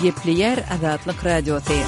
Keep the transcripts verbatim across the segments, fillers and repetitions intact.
Gepleýär Azatlyk Radiosy.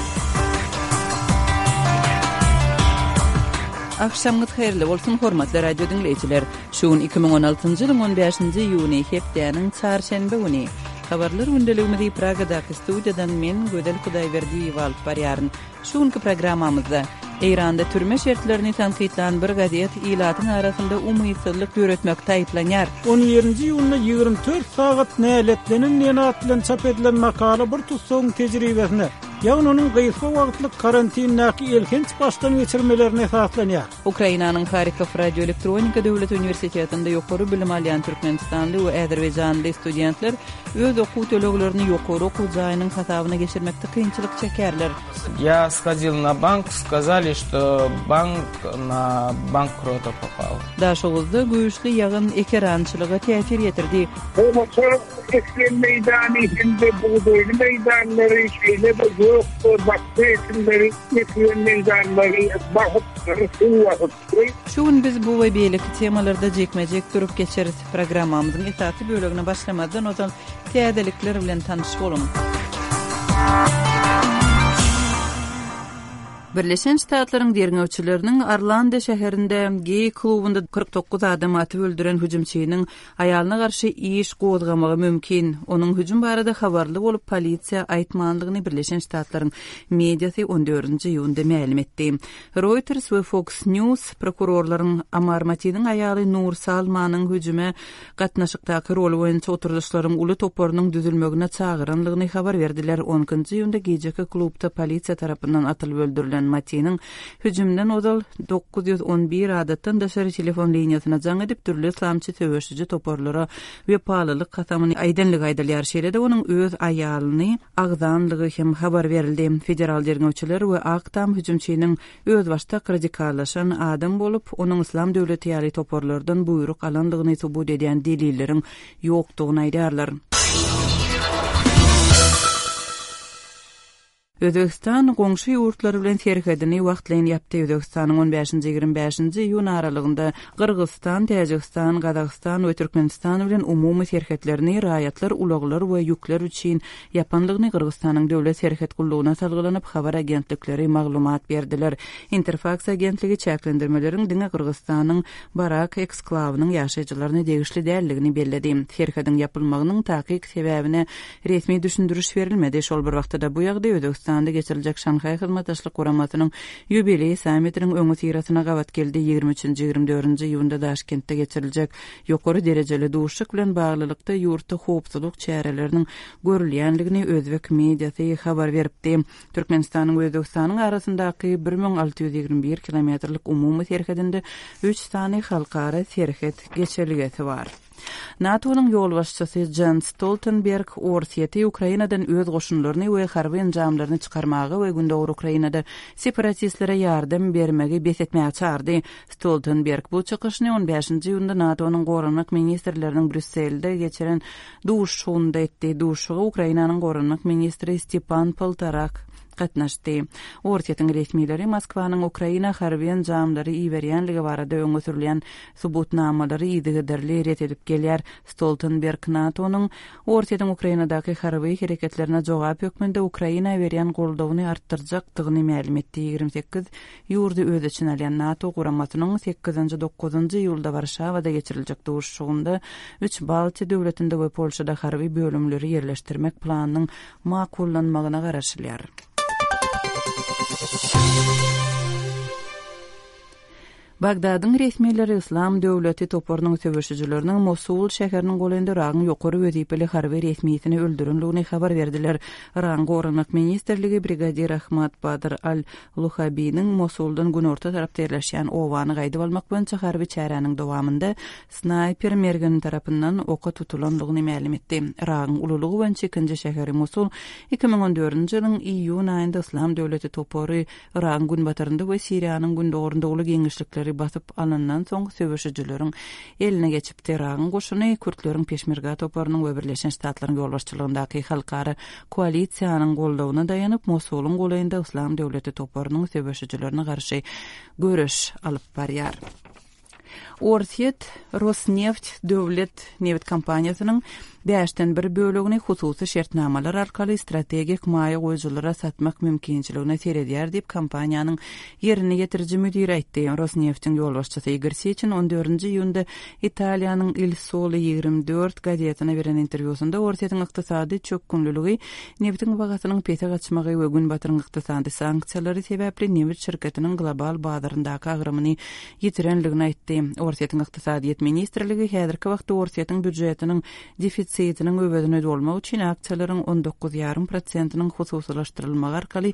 Agşamyňyz haýyrly bolsun, hormatly radio diňleýjiler. Şu gün iki müň on altynjy ýylyň on bäşinji iýuny, hepdäniň çarşenbe güni. Habarlar gündeligimizi Pragadaky studiýadan men, Gözel Hudaýberdiýewa alyp barýaryn. Şu günki programmamyzda Eýranda türme şertlerini tankytlan bir gazet ilatyň arasynda umytsyzlyk döretmekde aýyplanýar. On birinji iýunda ýigrimi dört sagat näletlenen diýen at bilen çap edilen makala bir tussagyň tejribesine, ýagny onuň gysga wagtlyk karantindäki elhenç başdan geçirmelerine esaslanýar. Ukrainanyň Harkow radioelektronika döwlet uniwersitetinde ýokary bilim alýan türkmenistanly we azerbaýjanly studentler öz okuw töleglerini ýokary okuw jaýynyň hasabyna geçirmekde kynçylyk çekýärler. Ýa shodil na bank, skazali, çto bank na bankrota popal. Daşoguzda güýçli ýagyn ekerançylyga täsir ýetirdi. Gowaça ekilen meýdany hem-de bugdaýly meýdanlary, şeýle-de gök we bakja ekinleri ekilen meýdanlary basypdyr, suw basypdyr. Şu gün biz bu we beýleki temalarda jikme-jik durup geçeris. Programmamyzyň esasy bölegine başlamazdan ozal täzelikler bilen tanyş boluň. Birleşen Ştatlaryň derňewçileriniň Orlando şäherinde geý klubunda kyrk dokuz adamy atyp öldüren hüjümçiniň aýalyna garşy iş gozgamagy mümkin. Onuň hüjüm barada habarly bolup polisiýa aýtmanlygyny Birleşen Ştatlaryň mediasy on dördünji iýunda mälim etdi. Reuters we Fox News prokurorlaryň Amar Matiniň aýaly Nur Salmanyň hüjüme gatnaşykdaky roly boýunça oturdyşlaryň uly toparynyň düzülmegine çagyranlygyny habar berdiler. On ikinji iýunda gijeki klubda polisiýa tarapyndan atylyp öldürilen Matiniň hüjümden ozal dokuz ýüz on bir adatdan daşary telefon liniýasyna jaň edip dürli yslamçy söweşiji toparlara wepalylyk kasamyny aýdanlygy aýdylýar. Şeýle-de onuň öz aýalyny agzanlygy hem habar berildi. Federal derňewçiler we Ak Tam hüjümçiniň özbaşdak radikallaşan adam bolup, onuň yslam döwleti ýaly toparlardan buýruk alandygyny subut edýän delilleriň ýokdugyny aýdýarlar. Özbegistan goňşy ýurtlar bilen serhedini wagtlaýyn ýapdy. Özbegistanyň on bäşinji ýigrimi bäşinji iýun aralygynda Gyrgyzystan, Täjigistan, Gazagystan we Türkmenistan bilen umumy serhetlerini raýatlar, ulaglar we ýükler üçin ýapanlygyny Gyrgyzystanyň döwlet serhet gullugyna salgylanyp habar agentlikleri maglumat berdiler. Interfax agentligi çäklendirmeleriň diňe Gyrgyzystanyň Barak eksklawynyň ýaşaýjylaryna degişli däldigini belledi. Serhediň ýapylmagynyň takyk sebäbine resmi düşündiriş berilmedi. Şol bir wagtda bu ýagdaý Özbegistanda geçiriljek Şanhaý Hyzmatdaşlyk Guramasynyň ýubileý sammitiniň öňi syrasyna gabat geldi. Ýigrimi üçünji, ýigrimi dördünji iýunda Daşkentde geçiriljek ýokary derejeli duşuşyk bilen baglylykda ýurtda howpsuzlyk çäreleriniň görülýänligini özbek mediasy habar beripdi. Türkmenistanyň we Özbegistanyň arasyndaky bir müň alty ýüz ýigrimi bir kilometrlik umumy serhedinde üç sany halkara serhet geçelgesi bar. NATO-nyň ýolbaşçysy Jens Stoltenberg Orsýeti Ukrainadan öz goşunlaryny we harby enjamlaryny çykarmaga we Gündogar Ukrainada separatistlere ýardam bermegi bes etmäge çagyrdy. Stoltenberg bu çykyşyny on bäşinji iýunda NATO-nyň goranmak ministrleriniň Brýusselde geçiren duşuşygynda etdi. Duşuşyga Ukrainanyň goranmak ministri Stepan Poltorak gatnaşdy. Orsýetiň resmileri Moskwanyň Ukraina harby enjamlary iberýänligi barada öňe sürülýän subutnamalary yzygiderli ret edip gelýär. Stoltenberg NATO-nyň Orsýetiň Ukrainadaky harby hereketlerine jogap hökmünde Ukraina berýän goldawyny artdyrjakdygyny mälim etdi. Ýigrimi sekiz ýurdy öz içine alýan NATO guramasynyň sekizinji, dokuzynjy iýulda Warşawada geçiriljek duşuşygynda üç Baltiýa döwletinde we Polşada harby bölümleri ýerleşdirmek planynyň makullanmagyna garaşylýar. Bagdadyň resmileri Islam döwleti toparynyň söweşijileriniň Mosul şäheriniň golaýynda Yragyň ýokary wezipeli harby resmisini öldürenligini habar berdiler. Yragyň goranmak ministrligi brigadir Ahmad Badr al-Luhabiniň Mosuldan günorta tarapda ýerleşýän obany gaýdyp almak boýunça harby çäräniň dowamynda snaýper mergeni tarapyndan oka tutulanlygyny mälim etdi. Yragyň ululygy boýunça ikinji şäheri Mosul iki müň on dördünji ýylyň iýun aýynda Islam döwleti topary Yragyň günbatarynda we Siriýanyň gündogarynda uly giňişlikleri basyp alyndan soň söweşijileriň eline geçipdi. Yragyň goşuny kürtleriň Peşmerga toparynyň we Birleşen Ştatlaryň ýolbaşçylygyndaky halkara koalisiýanyň goldawyna daýanyp Mosulyň golaýynda Islam döwleti toparynyň söweşijilerine garşy göreş alyp barýar. Orsýet Rosneft döwlet nebit kompaniýasynyň bäşden bir bölegini hususy şertnamalar arkaly strategik maýa goýujylara satmak mümkinçiligine seredýär diýip, kompaniýanyň ýerine ýetiriji müdiri aýtdy. Rosneftiň ýolbaşçysy Igor Seçin on dördünji iýunda Italiýanyň Il Sole ýigrimi dört gazetine beren interwýusynda Orsýetiň ykdysady çökgünliligi, nebitiň bahasynyň pese gaçmagy we Günbataryň ykdysady sanksiýalary sebäpli nebit şirketiniň global bazaryndaky agramyny ýitirenligini aýtdy. Orsýetiň ykdysadyýet ministrligi häzirki wagtda Orsýetiň býujetiniň defisitiniň öwezini dolmak üçin aksiýalaryň on dokuz ýarym prosentiniň hususylaşdyrylmagy arkaly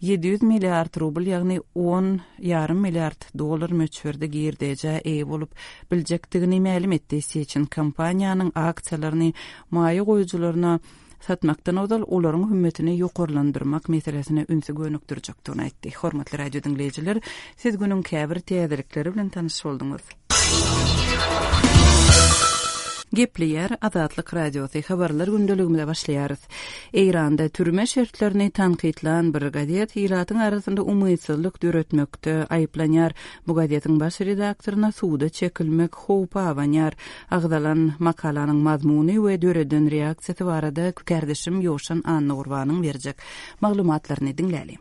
ýedi ýüz milliard rubl, ýagny on ýarym milliard dollar möçberde girdejä eýe bolup biljekdigini mälim etdi. Seçin kompaniýanyň aksiýalaryny maýa goýujylaryna satmakdan ozal olaryň hümmetini ýokarlandyrmak meselesine ünsi gönükdirjekdigini aýtdy. Hormatly radio diňleýjiler, siz günüň käbir täzelikleri bilen tanyş bolduňyz. Gepleýär Azatlyk Radiosy habarlar gündeligimize başlaýarys. Eýranda türme şertlerini tankytlan bir gazet ilatyň arasynda umytsyzlyk döretmekde aýyplanýar. Bu gazetiň baş redaktoryna suda çekilmek howpy abanýar. Agzalan makalanyň mazmuny we döreden reaksiýasy barada kärdeşim Ýowşan Annagurbanyň berjek maglumatlaryny diňläli.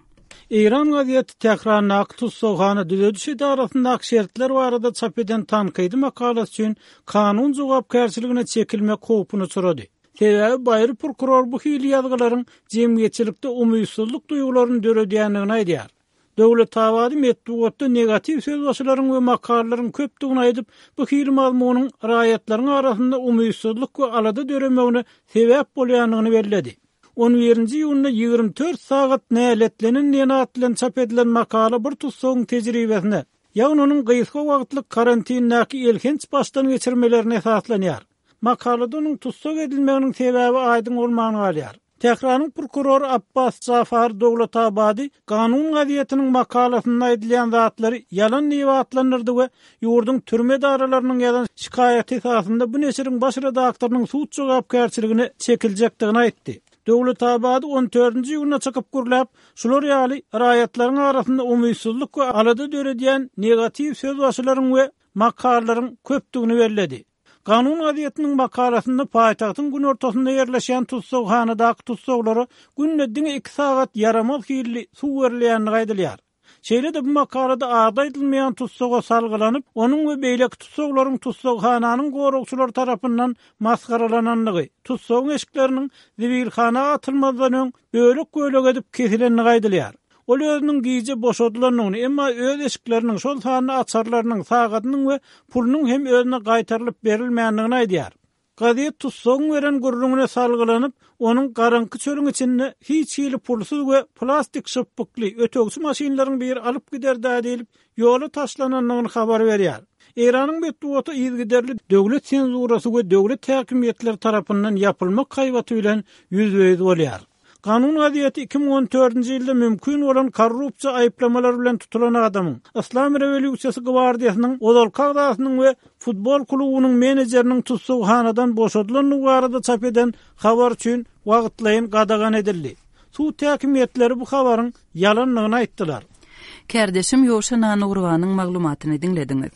Eýran gazeti Tährandaky tussagxana düzediş edarasyndaky şertler barada çap eden tankydy makalasy üçin kanun jogapkärçiligine çekilmek howpuny çyrady. Sebäbi baýry prokuror bu hili ýazgylaryň jemgyýetçilikde umytsyzlyk duýgularyny döredýändigini aýdýar. Döwletabady metbugatda negatiw sözbaşylaryň we makalalaryň köpdügini aýdyp, bu hili mazmunyň raýatlaryň arasynda umytsyzlyk we alada döremegine sebäp bolýandygyny belledi. On birinji iýunda ýigrimi dört sagat näletlenen diýen at bilen çap edilen makala bir tutsagyň tejribesine, ýagny onuň gysga wagtlyk karantindäki elhenç başdan geçirmelerine esaslanýar. Makalada onuň tutsak edilmeginiň sebäbi aýdyň bolman galýar. Tähranyň prokurory Abbas Jafar Döwletabady kanun gazetiniň makalasynda aýdylýan zatlary ýalan diýip atlandyrdy we ýurduň türme edaralarynyň ýazan şikaýaty esasynda bu neşiriň baş redaktorynyň sud jogapkärçiligine çekiljekdigini aýtdy. Döwletabady on dördünji iýunda çykyp gürläp, şular ýaly raýatlaryň arasynda umytsyzlyk we alada döredýän negatiw sözbaşylaryň we makalalaryň köpdügini belledi. Kanun gazetiniň makalasynda paýtagtyň günortasynda ýerleşýän tussaghanadaky tussaglara günde diňe iki sagat ýaramaz hilli suw berilýändigi aýdylýar. Şeýle-de bu makalada ady aýdylmaýan tussaga salgylanyp, onuň we beýleki tussaglaryň tussaghananyň goragçylary tarapyndan masgaralanandygy, tussagyň eşikleriniň zibilhana atylmazdan öň bölek-bölek edip kesilendigi aýdylýar. Ol özüniň gije boşadylandygyny, emma öz eşikleriniň, şol sanda açarlarynyň, sagadynyň we pulunyň hem özüne gaýtarylyp berilmändigini aýdýar. Gazet tussagyň beren gürrüňine salgylanyp, onuň garaňky çölüň içinde hiç hili pulsuz we plastik şypbykly ötegçi maşynlaryň biri alyp gider dä diýlip, ýola taşlanandygyny habar berýär. Eýranyň metbugaty yzygiderli döwlet senzurasy we döwlet häkimiýetleri tarapyndan ýapylmak haýbaty bilen ýüzbe-ýüz bolýar. Kanun gazeti iki müň on dördünji ýylda mümkin bolan korrupsiýa aýyplamalary bilen tutulan adamyň, Islam rewolýusiýasy gwardiýasynyň ozalky agzasynyň we futbol klubunyň menejeriniň tussagxanadan boşadylandygy barada çap eden habar üçin wagtlaýyn gadagan edildi. Sud häkimiýetleri bu habaryň ýalandygyny aýtdylar. Kärdeşim Ýowşan Annagurbanyň maglumatyny diňlediňiz.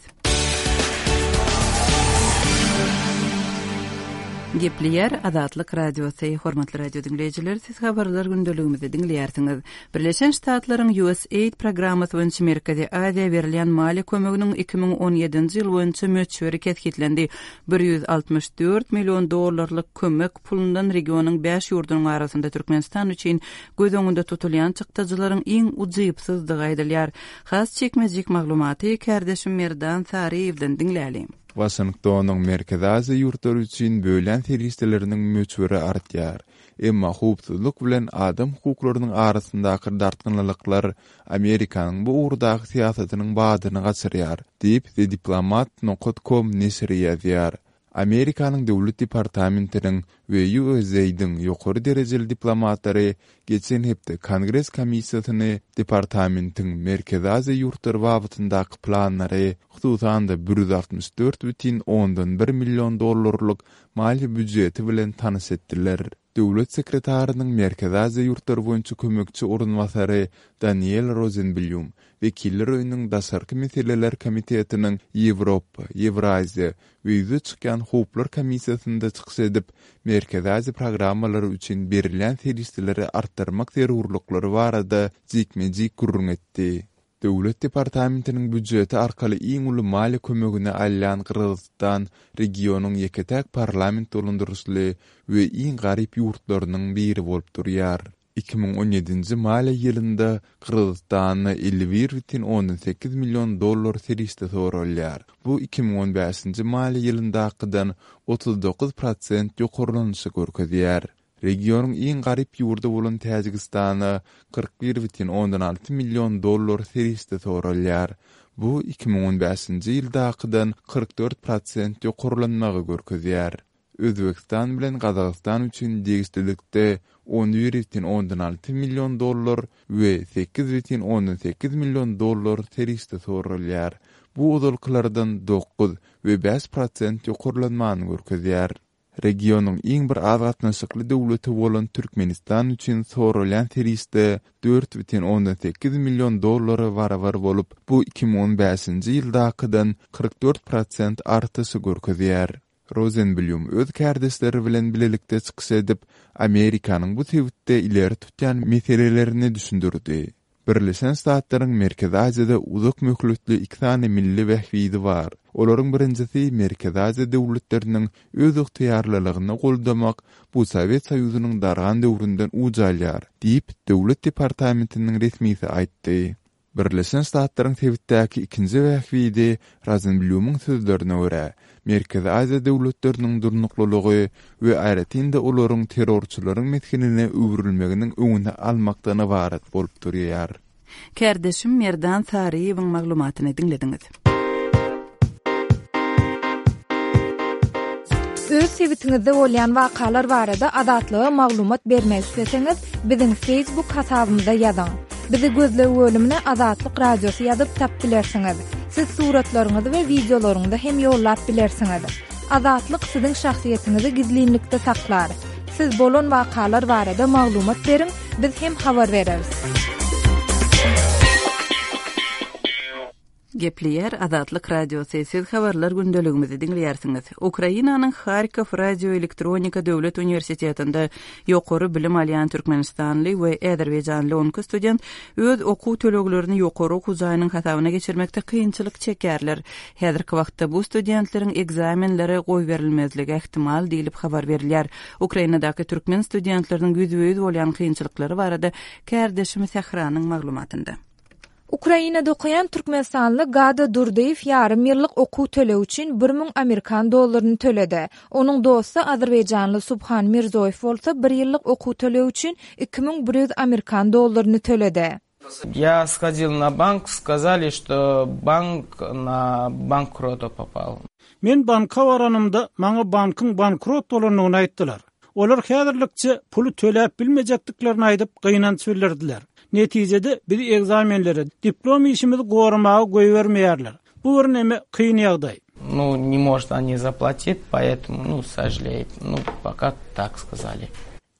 Gepleýär Azatlyk Radiosy. Hormatly radio diňleýjiler, siz habarlar gündeligimizi diňleýärsiňiz. Birleşen Ştatlaryň U S A I D programmasy boýunça Merkezi Aziýa berilýän maliýe kömeginiň iki müň on ýedinji ýyl boýunça möçberi kesgitlendi. Bir ýüz altmyş dört million dollarlyk kömek pulundan regionyň bäş ýurdunyň arasynda Türkmenistan üçin göz öňünde tutulýan çykdajylaryň iň ujypsyzdygy aýdylýar. Has çekmejik maglumaty kärdeşim Merdan Saryýewden diňläli. Waşingtonyň Merkezi Aziýa ýurtlary üçin bölýän serişdeleriniň möçberi artýar. Emma howpsuzlyk bilen adam hukuklarynyň arasyndaky dartgynlylyklar Amerikanyň bu ugurdaky syýasatynyň badyny gaçyrýar, diýip The Diplomat nokta com neşiri ýazýar. Amerikanyň Döwlet departamentiniň we U S A I D-iň ýokary derejeli diplomatlary geçen hepde Kongres komissiýasyny departamentiň Merkezi Aziýa ýurtlary babatyndaky planlary, hususan-da bir ýüz altmyş dört bütin ondan bir million dollarlyk maliýe býujeti bilen tanyş etdiler. Döwlet sekretarynyň Merkezi Aziýa ýurtlary boýunça kömekçi orunbasary Daniel Rozenblýum Wekiller öýüniň Daşarky meseleler komitetiniň Ýewropa, Ýewraziýa we ýüze çykýan howplar komissiýasynda çykyş edip, Merkezi Aziýa programmalary üçin berilýän serişdeleri artdyrmak zerurlyklary barada jikme-jik gürrüň etdi. Döwlet departamentiniň býujeti arkaly iň uly maliýe kömegini alýan Gyrgyzystan regionyň ýeke-täk parlament dolandyryşly we iň garyp ýurtlarynyň biri bolup durýar. Iki müň on ýedinji maliýe ýylynda Gyrgyzystanda elli bir bütin ondan sekiz million dollar serişde soralýar. Bu iki müň on bäşinji maliýe ýylyndakydan otuz dokuz prosent ýokarlanyşy görkezýär. Regionyň iň garyp ýurdy bolan Täjigistana kyrk bir bütin ondan alty million dollar serişde soralýar. Bu iki müň on bäşinji ýyldakydan kyrk dört prosent ýokarlanmagy görkezýär. Özbegistan bilen Gazagystan üçin degişlilikde on bir bütin ondan alty million dollar we sekiz bütin ondan sekiz million dollar serişde soralýar. Bu ozalkylardan dokuz we bäş prosent ýokarlanmany görkezýär. Regionyň iň bir az gatnaşykly döwleti bolan Türkmenistan üçin soralýan serişde dört bütin ondan sekiz million dollara barabar bolup, bu iki müň on bäşinji ýyldakydan kyrk dört prosent artyşy görkezýär. Rozenblýum öz kärdeşleri bilen bilelikde çykyş edip, Amerikanyň bu sebitde ileri tutýan meselelerini düşündirdi. Birleşen Ştatlaryň Merkezi Aziýada uzak möhletli iki sany milli bähbidi bar. Olaryň birinjisi Merkezi Aziýa döwletleriniň öz ygtyýarlylygyny goldamak, bu Sowet Soýuzynyň dargan döwründen uç alýar, diýip, Döwlet departamentiniň resmisi aýtdy. Birleşen Ştatlaryň sebitdäki ikinji bähbidi Rozenblýumyň sözlerine görä, Merkezi Aziýa döwletleriniň durnuklylygy we aýratyn-da olaryň terrorçylaryň mesgenine öwrülmeginiň öňüni almakdan ybarat bolup durýar. Kärdeşim Merdan Saryýewiň maglumatyny diňlediňiz. Öz sebitiňizde bolýan wakalar barada Azatlyga maglumat bermek isleseňiz, biziň Facebook hasabymyza ýazyň. Bizi gözleg bölümine Azatlyk Radiosy ýazyp tap bilersiňiz. Siz suratlaryňyzy we wideolaryňyzy hem ýollap bilersiňiz. Azatlyk siziň şahsyýetiňizi gizlinlikde saklar. Siz bolan wakalar barada maglumat beriň, biz hem habar bereris. Gepleýär Azatlyk Radiosy, siz habarlar gündeligimizi diňleýärsiňiz. Ukrainanyň Harkov Radioelektronika Döwlet Uniwersitetinde ýokary bilim alýan türkmenistanly we azerbaýjanly on iki student öz okuw töleglerini ýokary okuw jaýynyň hasabyna geçirmekde kynçylyk çekerler. Häzirki wagtda bu studentleriň ekzamenlere goýberilmezligi ähtimal diýlip habar berilýär. Ukrainadaky türkmen studentleriniň ýüzbe-ýüz bolýan kynçylyklary barada kärdeşim Sähranyň maglumatynda. Ukrainada okaýan türkmenistanly Gada Durdyýew ýarym ýyllyk okuw tölegi üçin bir müň amerikan dollaryny töledi. Onuň dosty azerbaýjanly Subhan Mirzoýew bolsa bir ýyllyk okuw tölegi üçin iki müň bir ýüz amerikan dollaryny töledi. Я сходил на банк, сказали, что банк на банкрота попал. Men banka baranymda maňa bankyň bankrot bolandygyny aýtdylar. Olar häzirlikçe puly töläp bilmejekdiklerini aýdyp gynanç bildirdiler. Netijede biz ekzamenleri, diplom işimizi goramaga goýbermeýärler. Bu bir näme kyn ýagdaý. Ну, не может они заплатить, поэтому, ну, сожалеет. Ну, пока так сказали.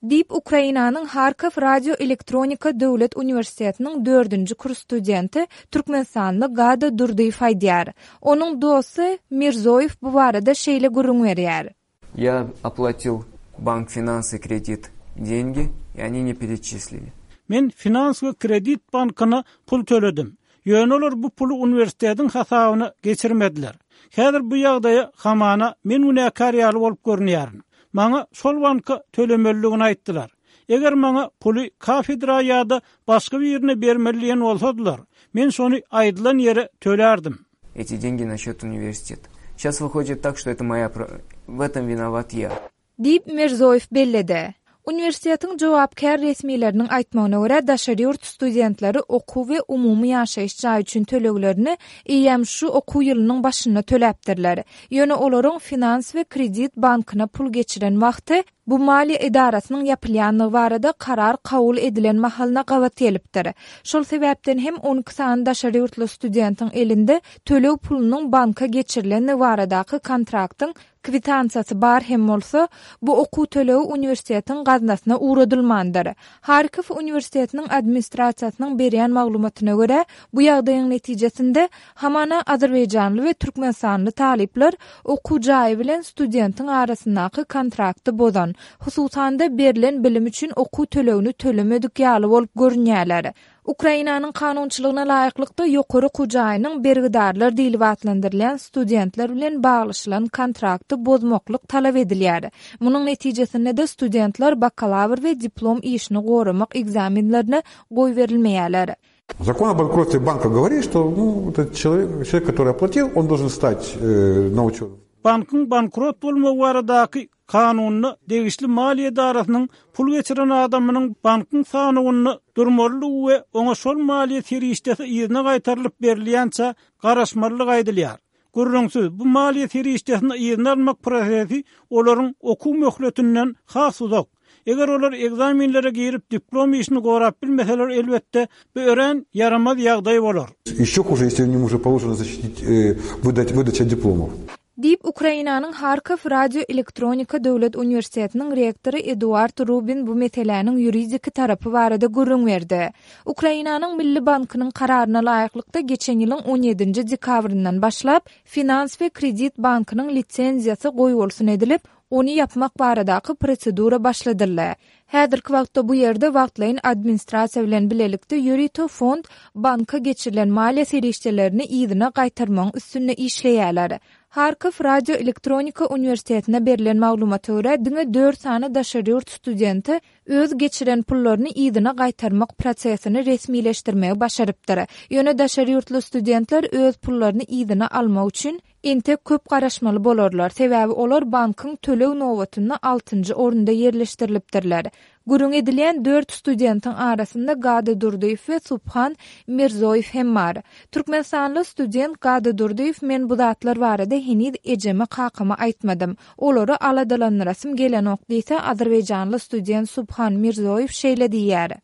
Diýip Ukrainanyň Harkov Radioelektronika Döwlet Uniwersitetiniň dördünji kurs studenti türkmenistanly Gada Durdyýew aýdýar. Onuň dosty Mirzoýew bu barada şeýle gürrüň berýär. Я оплатил банк финансы кредит деньги, и они не перечислили. Men finans we kredit bankyna pul töledim. Ýöne olar bu puly uniwersitetiň hasabyna geçirmediler. Häzir bu ýagdaýa hamana men günäkär ýaly bolup görünýärin. Maňa şol banka tölemeliligini aýtdylar. Eger maňa puly kafedra ýa-da başga birine bermeli bolsadylar, men şony aýdylan ýere tölerdim. Эти деньги на счет университета. Сейчас выходит так, что это моя про-, в этом виноват я. Diýip Mirzoýew belledi. Uniwersitetiň jogapkär resmileriniň aýtmagyna görä daşary ýurt studentleri okuw we umumy ýaşaýyş jaýy üçin töleglerini eýýäm şu okuw ýylynyň başynda töläpdirler. Ýöne olaryň finans we kredit bankyna pul geçiren wagty bu maliýe edarasynyň ýapylýanlygy barada karar kabul edilen mahalyna gabat gelipdir. Şol sebäpden hem on iki sany daşary ýurtly studentiň elinde töleg pulunyň banka geçirilenligi baradaky kontraktyň Kwitansiýasy bar hem bolsa, bu okuw tölegi uniwersitetiň gaznasyna ugradylmandyr. Harkow uniwersitetiniň administrasiýasynyň berýän maglumatyna görä, bu ýagdaýyň netijesinde hamana azerbaýjanly we türkmenistanly talyplar okuw jaýy bilen studentiň arasyndaky kontrakty bozan, hususan-da berlen bilim üçin okuw tölegini tölemedik ýaly bolup görünýärler. Ukrainanyň kanunçylygyna laýyklykda ýokary okuw jaýynyň bergidarlar diýlip atlandyrylýan studentler bilen baglaşylan kontrakty bozmaklyk talap edilýär. Munuň netijesinde-de studentler bakalawr we diplom işini goramak ekzamenlerine goýberilmeýärler. Закон о банкротстве банка говорит, что ну, этот человек, человек, который оплатил, он должен стать э, на учет. Bankyň bankrot bolmagy baradaky kanunda degişli maliýe edarasynyň pul geçiren adamynyň bankyň sanawynda durmalydygy we oňa şol maliýe serişdesi yzyna gaýtarylyp berilýänçä garaşmalydygy aýdylýar. Gürrüňsiz, bu maliýe serişdesini yzyna almak prosesi olaryň okuw möhletinden has uzak. Eger olar ekzamenlere girip diplom işini gorap bilmeseler, elbetde bu örän ýaramaz ýagdaý bolar. Еще хуже, если ему уже положено защитить, э, выдать, выдача дипломов. Diýip, Ukrainanyň Harkow Radio Elektronika Döwlet uniwersitetiniň rektory Eduard Rubin bu meseläniň ýuridik tarapy barada gürrüň berdi. Ukrainanyň Milli bankynyň kararyna laýyklykda geçen ýylyň on ýedinji dekabryndan başlap Finans we Kredit bankynyň lisenziýasy goýbolsun edilip, ony ýapmak baradaky prosedura başladyldy. Häzirki wagtda bu ýerde wagtlaýyn administrasiýa bilen bilelikde ýörite fond banka geçirilen maliýe serişdelerini yzyna gaýtarmagyň üstünde işleýärler. Harkow Radio Elektronika Uniwersitetine berlen maglumata görä diňe dört sany daşary ýurt studenti öz geçiren pullaryny yzyna gaýtarmak prosesini resmileşdirmegi başarypdyr. Ýöne daşary ýurtly studentler öz pullaryny yzyna almak üçin entek köp garaşmaly bolarlar. Sebäbi olar bankyň töleg nobatynda altynjy orunda ýerleşdirilipdirler. Gürrüň edilýän dört studentiň arasynda Gada Durdyýew we Subhan Mirzoýew hem bar. Türkmenistanly student Gada Durdyýew men bu zatlar barada heniz ejeme kakama aýtmadym. Olary aladalandyrasym gelenok diýse, azerbaýjanly student Subhan Mirzoýew şeýle diýýär.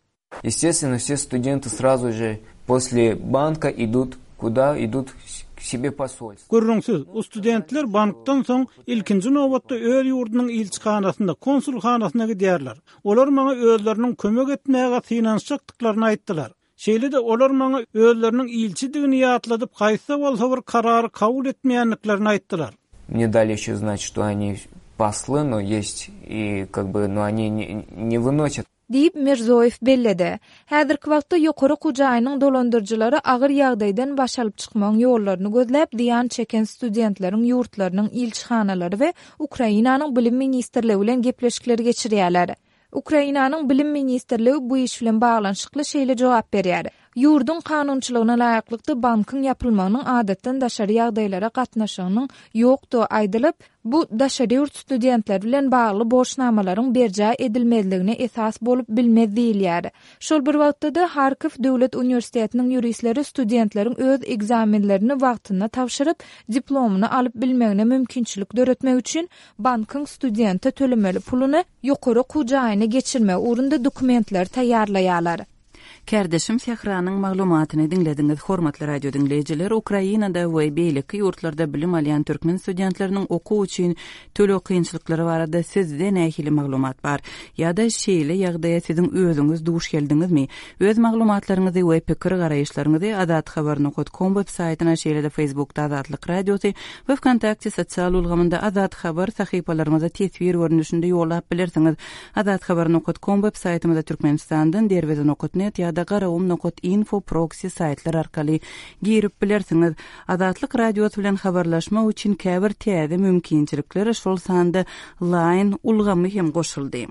Естественно, все студенты сразу же после банка идут куда? Идут к себе посольство. Gürrüňsiz, o studentler bankdan soň ilkinji nobatda öz ýurdunyň ilçihanasynda, konsulhanasyna gidýärler. Olar maňa özleriniň kömek etmäge synanyşjakdyklaryny aýtdylar. Şeýle-de olar maňa özleriniň ilçidigini ýatladyp, haýsy bolsa bir karary kabul etmeýändiklerini aýtdylar. Мне дали еще знать, что они послы, но есть и как бы, но они не, не выносят. Diýip Mirzoýew belledi. Häzirki wagtda ýokary okuw jaýynyň dolandyryjylary agyr ýagdaýdan baş alyp çykmagyň ýollaryny gözläp, zyýan çeken studentleriň ýurtlarynyň ilçihanalary we Ukrainanyň Bilim ministrligi bilen gepleşikler geçirýärler. Ukrainanyň Bilim ministrligi bu iş bilen baglanyşykly şeýle jogap berýär. Ýurduň kanunçylygyna laýyklykda bankyň ýapylmagynyň adatdan daşary ýagdaýlara gatnaşygynyň ýokdugy aýdylyp, bu daşary ýurt studentleri bilen bagly borçnamalaryň berjaý edilmezligine esas bolup bilmez diýilýär. Şol bir wagtda-da Harkow Döwlet uniwersitetiniň ýuristleri studentleriň öz ekzamenlerini wagtynda tabşyryp, diplomyny alyp bilmegine mümkinçilik döretmek üçin bankyň studente tölemeli puluny ýokary okuw jaýyna geçirmek ugrunda dokumentleri taýýarlaýarlar. Kärdeşim Sähranyň maglumatyny diňlediňiz. Hormatly radio diňleýjiler, Ukrainada we beýleki ýurtlarda bilim alýan türkmen studentleriniň okuw üçin töleg kynçylyklary barada sizde nähili maglumat bar? Ýa-da şeýle ýagdaýa siziň özüňiz duş geldiňizmi? Öz maglumatlaryňyzy we pikir garaýyşlaryňyzy azathabar nokta com web saýtyna, şeýle-de Facebookda Azatlyk radiosy we Vkontakte sosial ulgamynda Azat Habar sahypalarymyza teswir görnüşinde ýollap bilersiňiz. Azathabar nokta com web saýtymyzda Türkmenistandan derweze nokta net ýa-da garawum nokta info proxy saýtlar arkaly girip bilersiňiz. Azatlyk radiosy bilen habarlaşmak üçin käbir täze mümkinçilikler şol sanda Line ulgamy hem goşuldy.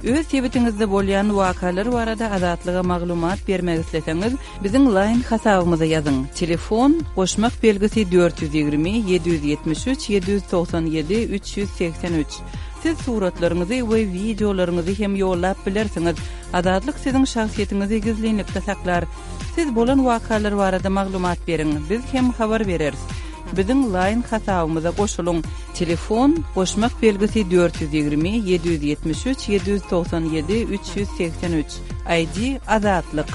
Öz sebitiňizde bolýan wakalar barada Azatlyga maglumat bermek isleseňiz, biziň Line hasabymyza ýazyň. Telefon goşmak belgisi dört ýüz ýigrimi ýedi ýüz ýetmiş üç ýedi ýüz togsan ýedi üç ýüz segsen üç. Siz suratlaryňyzy we wideolaryňyzy hem ýollap bilersiňiz. Azatlyk siziň şahsyýetiňizi gizlinlikde saklar. Siz bolan wakalar barada maglumat beriň, biz hem habar bereris. Biziň Line hasabymyza goşulyň. Telefon goşmak belgisi dört ýüz ýigrimi ýedi ýüz ýetmiş üç ýedi ýüz togsan ýedi üç ýüz segsen üç. I D Azatlyk.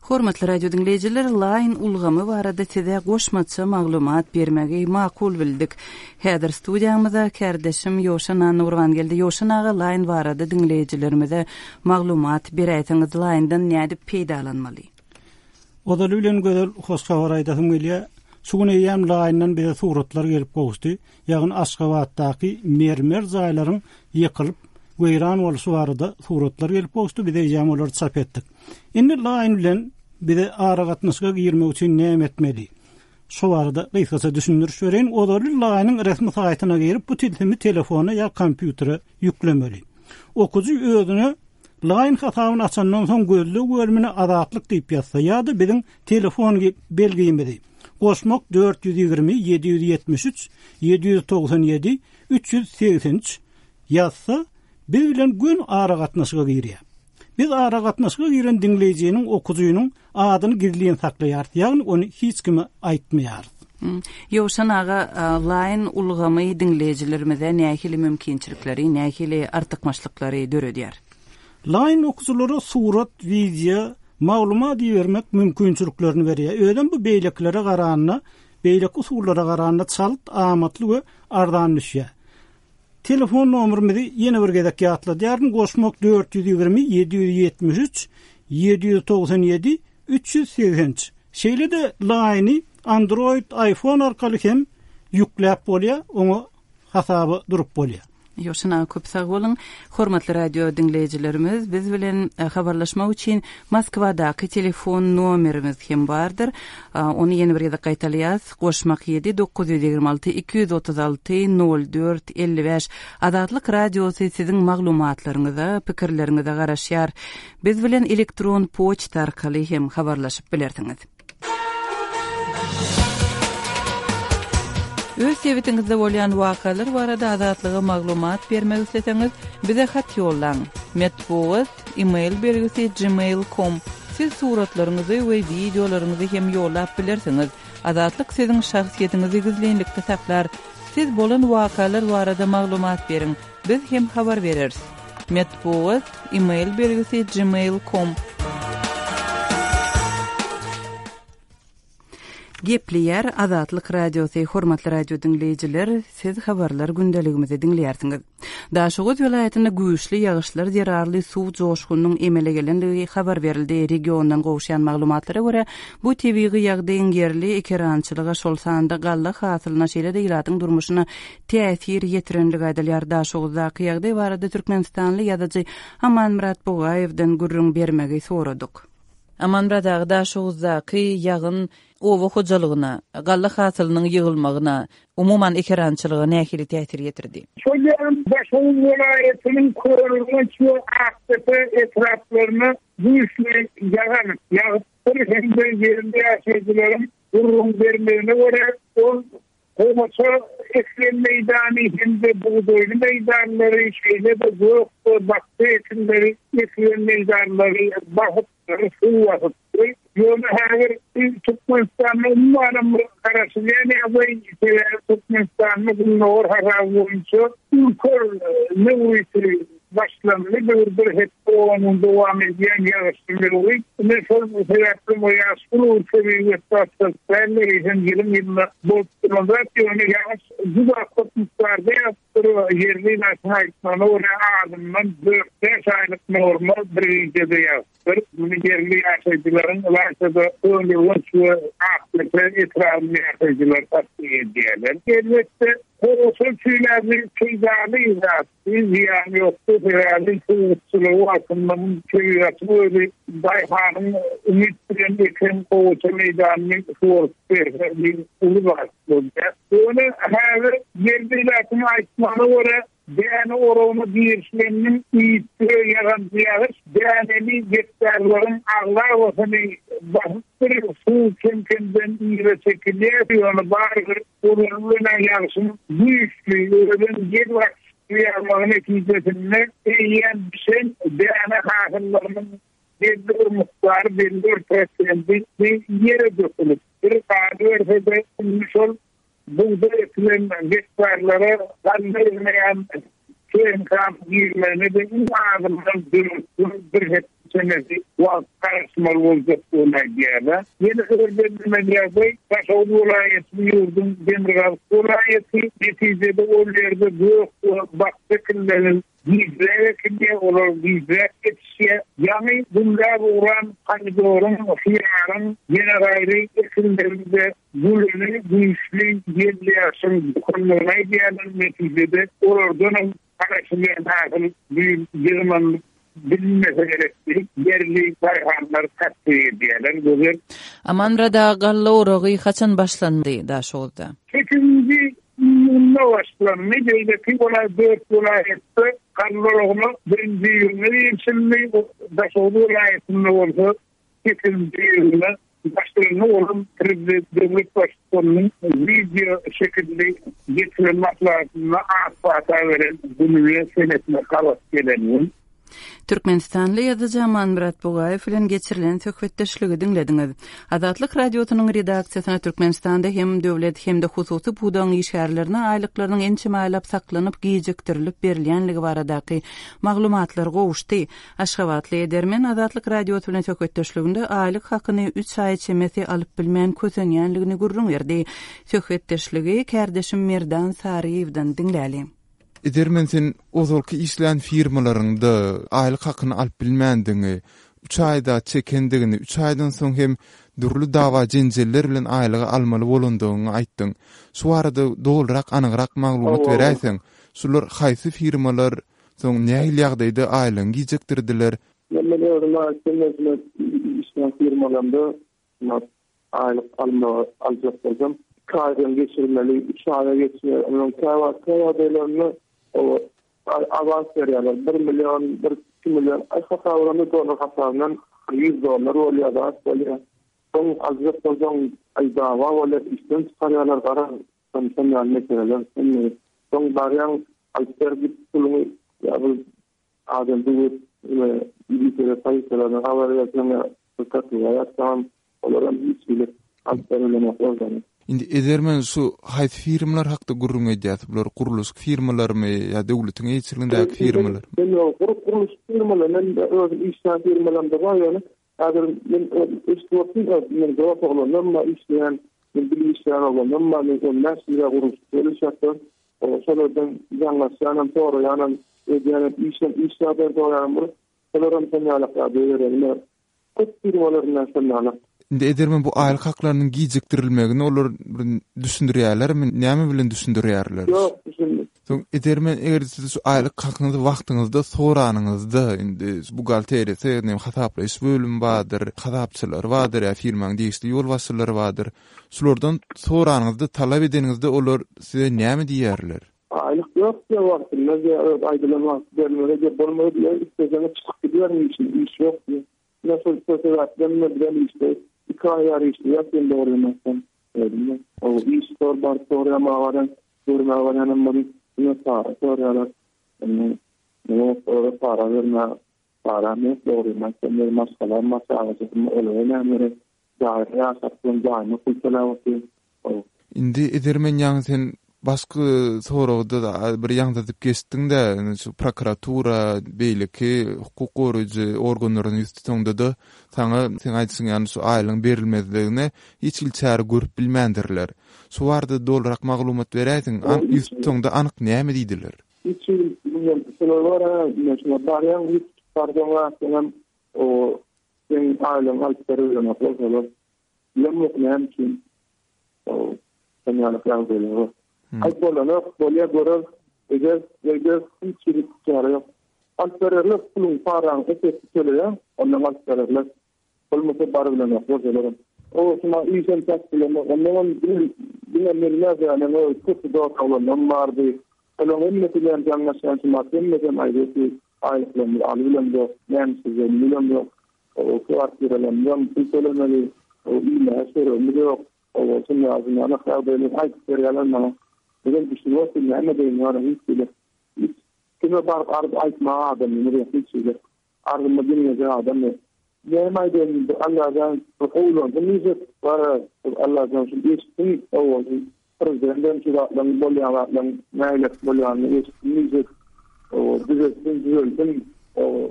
Hormatly radio diňleýjiler, Line ulgamy barada size goşmaça maglumat bermegi makul bildik. Häzir studiýamyza kärdeşim Ýowşan Annagurban geldi. Ýowşan aga, Line barada diňleýjilerimize maglumat beräýseňiz, Line-dan nädip peýdalanmaly? Ozaly bilen gözel hoş habar aýdasym gelýär. Şu gün eýýäm Line-dan bize suratlar gelip gowuşdy. Ýagny Aşgabatdaky mermer jaýlaryň ýykylyp weýran bolşy barada suratlar gelip gowuşdy. Biz eýýäm olary çap etdik. Indi Line bilen bize aragatnaşyga girmek üçin näme etmeli? Şu barada gysgaça düşündiriş bereýin. Ozaly Line-yň resmi saýtyna girip bu tilsimi telefona ýa kompýutere ýüklemeli. Okujy özüne Line hasabyny açandan soň gözleg bölümine Azatlyk diýip ýazsa ýa-da biziň telefon belgimizi goşmak dört ýüz ýigrimi ýedi ýüz ýetmiş üç ýedi ýüz togsan ýedi üç ýüz segsen üç ýazsa biz bilen gün aragatnaşyga girýär. Biz aragatnaşyga giren diňleýjiniň okujynyň adyny gizlin saklaýarys, ýagny ony hiç kime aýtmaýarys. Hmm. Ýowşan aga, Line ulgamy diňleýjilerimize nähili mümkinçilikleri, nähili artykmaçlyklary döredýär? Line okujylara surat, wideo, maglumat bermek mümkinçiliklerini berýär. Özem bu beýlekilere garanda, beýleki usullara garanda çalt, amatly we arzan düşýär. Telefon nomerimizi ýene bir gezek ýatladýaryn. Goşmak dört ýüz ýigrimi ýedi ýüz ýetmiş üç ýedi ýüz togsan ýedi üç ýüz segsen üç. Şeýle-de Line-y Android, iPhone arkaly hem ýükläp bolýar, oňa hasaba durup bolýar. Ýowşan aga, köp sag boluň. Hormatly radio diňleýjilerimiz, biz bilen, e, habarlaşmak üçin Moskwadaky telefon nomerimiz hem bardyr. E, ony ýene bir gezek gaýtalaýas. Goşmak ýedi dokuz ýüz ýigrimi alty iki ýüz otuz alty nol dört elli bäş. Azatlyk radiosy siziň maglumatlaryňyza, pikirleriňize garaşýar. Biz bilen elektron poçta arkaly hem habarlaşyp bilersiňiz. Öz sebitiňizde bolýan wakalar barada Azatlyga maglumat bermek isleseňiz, bize hat ýollaň. Metbugat, e-mail belgisi gmail nokta com. Siz suratlaryňyzy we wideolaryňyzy hem ýollap bilersiňiz. Azatlyk siziň şahsyýetiňizi gizlinlikde saklar. Siz bolan wakalar barada maglumat beriň. Biz hem habar bereris. Metbugat, e-mail belgisi gmail nokta com. Gepleýär Azatlyk Radiosy, hormatly radio diňleýjiler, siz habarlar gündeligimizi diňleýärsiňiz. Daşoguz welaýatynda güýçli ýagyşlar zerarly suw joşgunynyň emele gelendigi habar berildi. Regiondan gowuşýan maglumatlara görä, bu tebigy ýagdaýyň ýerli ekerançylyga, şol sanda galla hasylyna, şeýle-de ilatyň durmuşyna täsir ýetirenligi aýdylýar. Daşoguzdaky ýagdaý barada Türkmenistanly ýazyjy Amanmyrat Bugaýewden gürrüň bermegi soradyk. Amanmyrat aga, Daşoguzdaky ýagyn oba hojalygyna, galla hasylynyň ýygylmagyna, umuman ekerançylyga nähili täsir ýetirdi? Şol ýagyn Daşoguz welaýatynyň Köneürgenç we Akdepe etraplaryna güýçli ýagyn ýagypdyr hem-de ýerli ýaşaýjylaryň gürrüň bermegine görä, ol gowaça ekilen meýdany hem-de bugdaýly meýdanlary, şeýle-de gök we bakja ekinleri ekilen meýdanlary basyp, suw basypdyr. Ýöne häzir Türkmenistanda umuman bir garaşylýan ýagdaý, sebäbi Türkmenistanda gündogar hasaby boýunça ülker möwriti başlandy, bir bir hepde onuň dowam edýän ýagyşly möwrit. Ine şol sebäpli bu ýaş uly tebigy betbagtçylyklar hem ýylyň ýylyna bolup duran zat, ýöne ýagyş juda köp mukdarda ýagypdyr. Ýerli ilatyň aýtmagyna görä, azyndan dört bäş aýlyk norma bir gijede ýagypdyr. Muny ýerli ýaşaýjylaryň, ylaýta-da Köneürgenç we Akdepe etrabynyň ýaşaýjylary tassyk edýärler. Elbetde, gowaça üçin peýdaly zat, zyýany ýokdy, sebäbi suwukçylygy wagtynda tebigatyň özi daýhanyň umyt bilen eken gowaça meýdanyny suwaryp berse bir uly zat bolýar. Ýöne häzir ýerli ilatyň aýtmagyna görä, däne oragyna girişleniniň iýipdir ýagan ýagyş däneli gektarlaryň aglabasyny basypdyr, suw kem-kemden ýere çekilýär. Ýöne barybir olar bilen ýagyşyň güýçli ölen ýel ýagmagy netijesinde eýýäm bişen däne hasyllarynyň belli bir mukdary, belli bir prosenti ýere dökülip, bir galyberse-de indi şol bugdaý ekilen gektarlara galla ýygnaýan tehnikanyň girmegine-de iň azyndan dört gün, bir hepde çemesi wagt garaşmaly boljakdygyny aýdýarlar. Ýene bir bellemeli ýagdaý, Daşoguz welaýatynyň ýurduň demirgazyk welaýaty, netijede ol ýerde gök we bakja ekinleri gijräk ekilýär, olar gijräk ýetişýär. Ýaňy gülläp ugran pomidoryň, hyýaryň, ýene gaýry ekinlerinde gülüni güýçli ýel ýagşyň dokunmagyny aýdýarlar. Netijede olardan hem garaşylýan hasyl ýygnalyp bilinmese gerek diýip, ýerli daýhanlar tassyk edýärler. Gözel. Amanmyrat aga, galla oragy haçan başlandy Daşoguzda? Sekizinji iýunda başlandy. Beýleki welaýat, dört welaýatda galla oragyna birinji iýunda girişildi. Daşoguz welaýatynda bolsa sekizinji iýunda başlandy. Onuň prezident döwlet baştutanynyň wideo şekilli geçiren maslahatynda ak pata beren gününe senesine gabat gelen gün. Türkmenistanly ýazyjy Amanmyrat Bugaýew bilen geçirilen söhbetdeşligi diňlediňiz. Azatlyk Radiosynyň redaksiýasyna Türkmenistanda hem döwlet hem-de hususy pudagyň işgärlerine aýlyklarynyň ençeme aýlap saklanyp gijikdirilip berilýänligi baradaky maglumatlar gowuşdy. Aşgabatly edermen Azatlyk Radiosy bilen söhbetdeşliginde aýlyk hakyny üç aý çemesi alyp bilmän kösenýänligini gürrüň berdi. Söhbetdeşligi kärdeşim Merdan Saryýewden diňläli. Edermen, sen ozalky işlän firmalarynda aýlyk hakyny alyp bilmändigiňi, üç aýda çekendigini, üç aýdan soň hem dürli dawa jenjeller bilen aýlygy almaly bolandygyňy aýtdyň. Şu arada dogrurak, anygrak maglumat beräýseň, şular haýsy firmalar, soň nähili ýagdaýda aýlygyny gijikdirdiler? Men özüm aýtdym, işlän firmalarymda aýlyk alma, aljak bolsam, iki aýdan geçirmeli, üç aýa geçmeli. Onuň käwagt ýagdaýlarynda o awans berýärler. Bir million, bir iki million, aý hasabyndan dollar hasabyndan ýüz dollar bolýar, zat bolýar. Soň aljak bolsaň, aý dawa bolýar, işden çykarýarlar, gara, şondan ýaly meseleler. Soň barýaň, alyp ber git puluňy, ýa bir adam döwüp, we milisiýa polisiýalaryna habar berseň, ýa prokuratura ýatsaň, olaram hiç hili alyp berilenok. Indi edermen şu haýsy firmalar hakda gürrüň edýäs? Bular gurluşyk firmalarymy ýa döwletiň eýeçiligindäki firmalar? Men ýok, gurluşyk firmalary, men özüm işleýän firmalarymda bar, ýöne häzir men eşitip men dost oglanlarym bar, işleýän, men bilim işleýän oglanlarym bar, men on bäş ýyl gurluşyk işleýän, şolardan jaňlaşýanam, soraýanam, edýänem, işem, iş ýagdaýyny soraýanam bolup, şolaram şon ýaly ýagdaý berýär. Köp firmalaryndan şon ýaly. Indi edermen bu aýlyk haklarynyň gijikdirilmegini olar bir düşündirýärlermi? Näme bilen düşündirýärler? Ýok, düşünmez. Soň edermen eger siz şu aýlyk hakyňyzy wagtyňyzda soranyňyzda, indi buhgalteriýasy, näme hasaplaýyş bölümi bardyr, hasapçylar bardyr, ýa firmanyň degişli ýolbaşçylary bardyr. Şulardan soranyňyzda, talap edeniňizde olar size näme diýerler? Aýlyk ýok diýe wagtynda, diýe, öz aýdylan wagt berilmeli diýe, bolmady diýe, isleseňiz çykyp gidiberin işine, iş ýok diýe. Ine şol sebäpden men bilen işte iki aý ýary işleýär, sen dogry ýemezsen. Öýdüm. O iş sor bar, sorýan barýan, görmäge barýanam bolup, ine para sorýarlar. Indi ýok, olara para berme, para men dogry ýemezsen, men maşgalam, maşgalasym, olara näme gerek? Jaýda ýaşap, ben jaýyma pul töläp otyryn. O. Indi edermen ýaňy sen başky soragda da bir ýaňzydyp geçdiň-de, şu prokuratura, beýleki hukuk goraýjy organlaryň ýüz tutanda-da saňa sen aýtsyň, ýagny şu aýlygyň berilmezligine hiç hili çäre görüp bilmändirler. Şu barada dolurak maglumat beräýseň, ýüz tutanda anyk näme diýdiler? Hiç hili bilmem, şular bar, ha, men şuna barýan, ýüz tutarsaň, senem o sen aýlygyňy alyp berilenok bolsalar, bilemok näme üçin. O, sen ýaly ýagdaýlar bar. Aý bolanok, bolýa görer, eger, eger hiç hili çäre ýok. Alyp bererler, puluň, paraň epesi töleýär, ondan alyp bererler. Bolmasa bar bilenok, bolsalar. O şuna işem çak bilenok, ondan hem diňe, diňe men näme, o köp dost oglanlarym bardy. Olaryň hemmesi bilen jaňlaşýan şuma, hemmesi hem aýdypdy, aýlyklarymyzy alyp bilemzok, näme işlejegimi bilemzok. O kwartiralarymyzam pul tölemeli, o iýmäge çöregimiz ýok. O şundan ýaly ýagdaýlar aýdyp berýärler maňa. Bizem düşünip otyryn, näme diýen ýaly hiç hili. Hiç kime baryp arz aýtmaga adamymyz ýok, hiç hili. Arzymy diňlejek adam ýok. Näme aýdaýyn, Allahdan gowulandy diýjek, bara Allahdan şu eşitdim, owal prezidentden şu zatlaryň bolýan zatlaryň nähili bolýanyny eşitdim diýjek. O düzeltsin, düzeltsin. O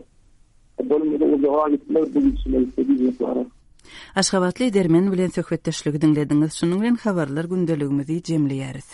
Bolmasa uzaga gitmez bu gidişine gitse diýjek bar. Aşgabatly edermen bilen söhbetdeşligi diňlediňiz. Şunuň bilen habarlar gündeligimizi jemleýäris.